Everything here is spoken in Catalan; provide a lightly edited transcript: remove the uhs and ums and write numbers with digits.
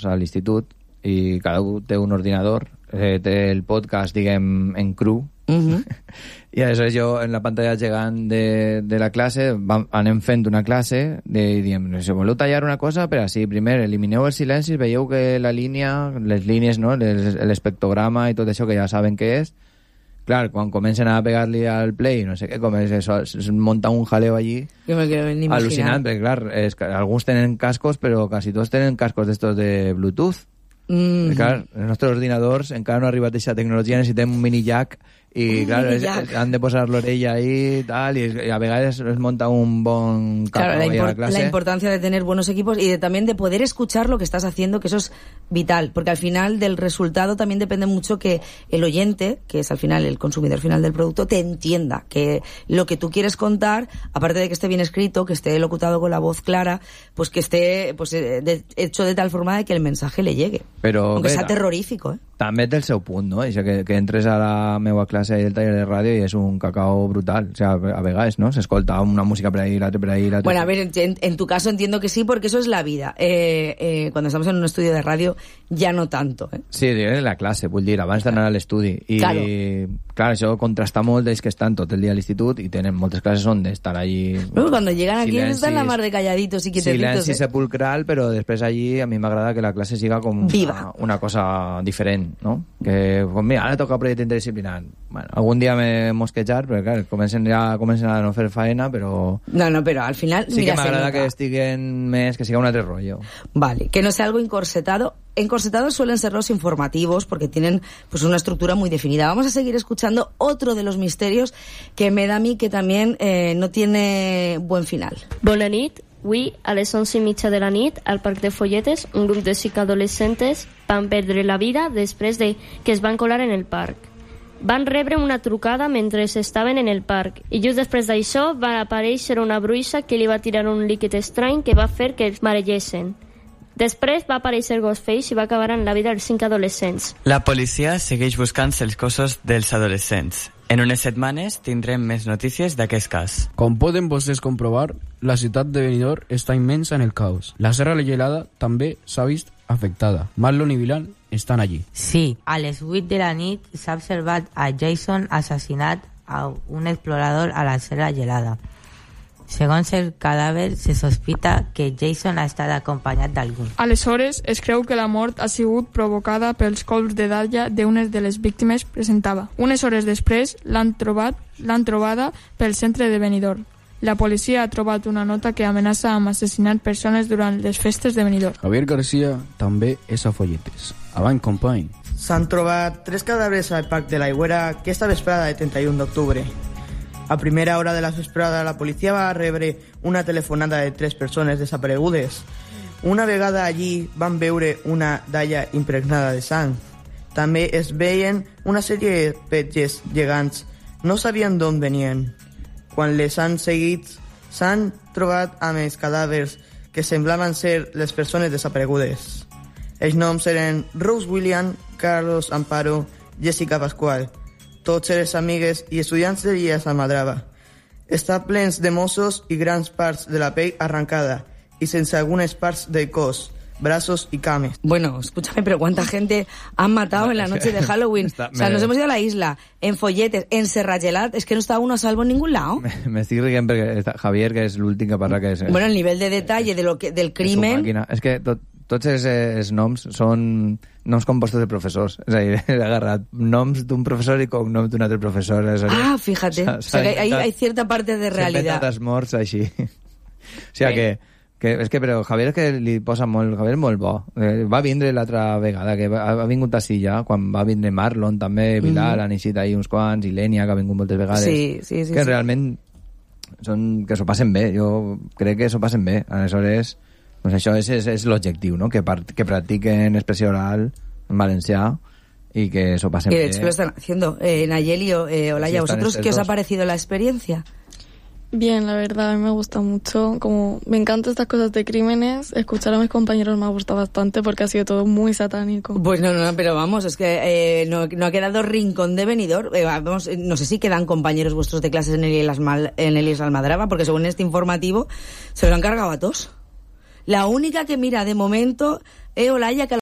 a l'institut i cada un té un ordinador, té el podcast, diguem, en cru, i aleshores jo en la pantalla gegant de la classe anem fent una classe i diem, si voleu tallar una cosa, però sí, primer elimineu els silencis, veieu que la línia, les línies, no? L'espectrograma i tot això que ja saben què és. Clar, quan comencen a pegar-li al play, no sé què, es monta un jaleo allí al·lucinant, perquè clar, alguns tenen cascos, però quasi tots tenen cascos d'estos de Bluetooth. Clar, els nostres ordinadors encara no ha arribat a aquesta tecnologia, necessitem un mini jack i clar, han de posar l'orella ahí tal, y a vegades es monta un bon claro, la importancia de tener buenos equipos y también de poder escuchar lo que estás haciendo, que eso es vital, porque al final del resultado también depende mucho que el oyente, que es al final el consumidor final del producto, te entienda, que lo que tú quieres contar, aparte de que esté bien escrito, que esté locutado con la voz clara, pues que esté hecho de tal forma de que el mensaje le llegue. Però, aunque sea terrorífico, també té el seu punt, no? Això que entres a la meva classe del taller de ràdio i és un cacao brutal. O sea, a vegades, ¿no? Se escolta una música por ahí, l'altra por ahí, l'altra. Bueno, a ver, en tu caso entiendo que sí, porque eso es la vida. Cuando estamos en un estudio de radio, ya no tanto, ¿eh? Sí, en la classe, vull dir, abans d'anar a l'estudi. I, clar, això contrasta molt d'ells que estan tot el dia a l'institut i tenen moltes classes on estar allí... Cuando llegan aquí están la mar de calladitos y quietecitos. Silenci sepulcral, però després allí a mi m'agrada que la classe siga com una cosa diferent, ¿no? Que, pues mira, ara toca projecte interdisciplinar. Bueno, algun dia me mosquejar, però clar, comencen a no fer faena, però... No, però al final... Sí que m'agrada que estiguen més, que siga un altre rollo. Vale, que no sea algo encorsetado. Encorsetados suelen ser los informativos porque tienen pues una estructura muy definida. Vamos a seguir escuchando otro de los misterios que me da a mí que también no tiene buen final. Bona nit. Avui, a les 11:30 de la nit, al Parc de Folletes, un grup de 5 adolescentes van perdre la vida després de que es van colar en el parc. Van rebre una trucada mentre estaven en el parc i just després d'això va aparèixer una bruixa que li va tirar un líquid estrany que va fer que els maregessin. Després va aparèixer Ghostface i va acabar amb la vida dels 5 adolescents. La policia segueix buscant els cossos dels adolescents. En unes setmanes tindrem més notícies d'aquest cas. Com poden vostès comprovar, la ciutat de Benidorm està immensa en el caos. La Serra Gelada també s'ha vist afectada. Marlon i Vilan estan allí. Sí, a les 8 de la nit s'ha observat a Jason assassinat a un explorador a la Serra Gelada. Segons el cadàver, se sospita que Jason ha estat acompanyat d'algú. Aleshores, es creu que la mort ha sigut provocada pels colps de dalla d'una de les víctimes presentava. Unes hores després l'han trobada pel centre de Benidorm. La policia ha trobat una nota que amenaça amb assassinar persones durant les festes de Benidorm. Javier García també és a Folletes. Avant, company. S'han trobat 3 cadàvers al Parc de l'Aigüera aquesta vesprada de 31 d'octubre. A primera hora de la vesprada, la policia va rebre una telefonada de 3 persones desaparegudes. Una vegada allí van veure una dalla impregnada de sang. També es veien una sèrie de petges gegants. No sabien d'on venien. Quan les han seguit, s'han trobat amb els cadàvers que semblaven ser les persones desaparegudes. Els noms eren Rose William, Carlos Amparo, Jessica Pascual. Tots eren amigues i estudiants de l'IES Almadrava. Està plens de mossos i grans parts de la pell arrancada y sense algunas parts del cos, brazos y cames. Bueno, escúchame, pero ¿cuánta gente han matado en la noche de Halloween? O sea, nos hemos ido a la isla, en Folletes, en Serra Gelada, es que no está uno a salvo en ningún lado. Me estic rient perquè Javier, que és l'últim que parla, que és... Bueno, el nivell de detalle del crimen... És que tots els noms són noms compostos de professors. És a dir, he agarrat noms d'un professor i cognoms d'un altre professor. Fíjate. O sea, que hay cierta parte de realidad. S'han morts així. O sigui que és que, però Javier que li posa molt... Javier és molt bo. Va vindre l'altra vegada, que ha vingut a Silla, quan va vindre Marlon, també, Bilal, han eixit ahí uns quants, i Lènia, que ha vingut moltes vegades. Sí. Que realment que s'ho passen bé. Jo crec que s'ho passen bé. Aleshores... Pues això és l'objectiu, ¿no? Que practiquen expresión oral en valencià y que eso pase bien. De hecho lo están haciendo. Nayeli, Olaya, ¿vosotros qué os ha parecido la experiencia? Bien, la verdad, a mí me gusta mucho. Como me encantan estas cosas de crímenes, escuchar a mis compañeros me ha gustado bastante porque ha sido todo muy satánico. Pues no, pero vamos, es que no ha quedado rincón de Benidorm. Vamos, no sé si quedan compañeros vuestros de clases en el IES Almadrava, porque según este informativo se los han cargado a todos. La única que mira de momento es Olaya, que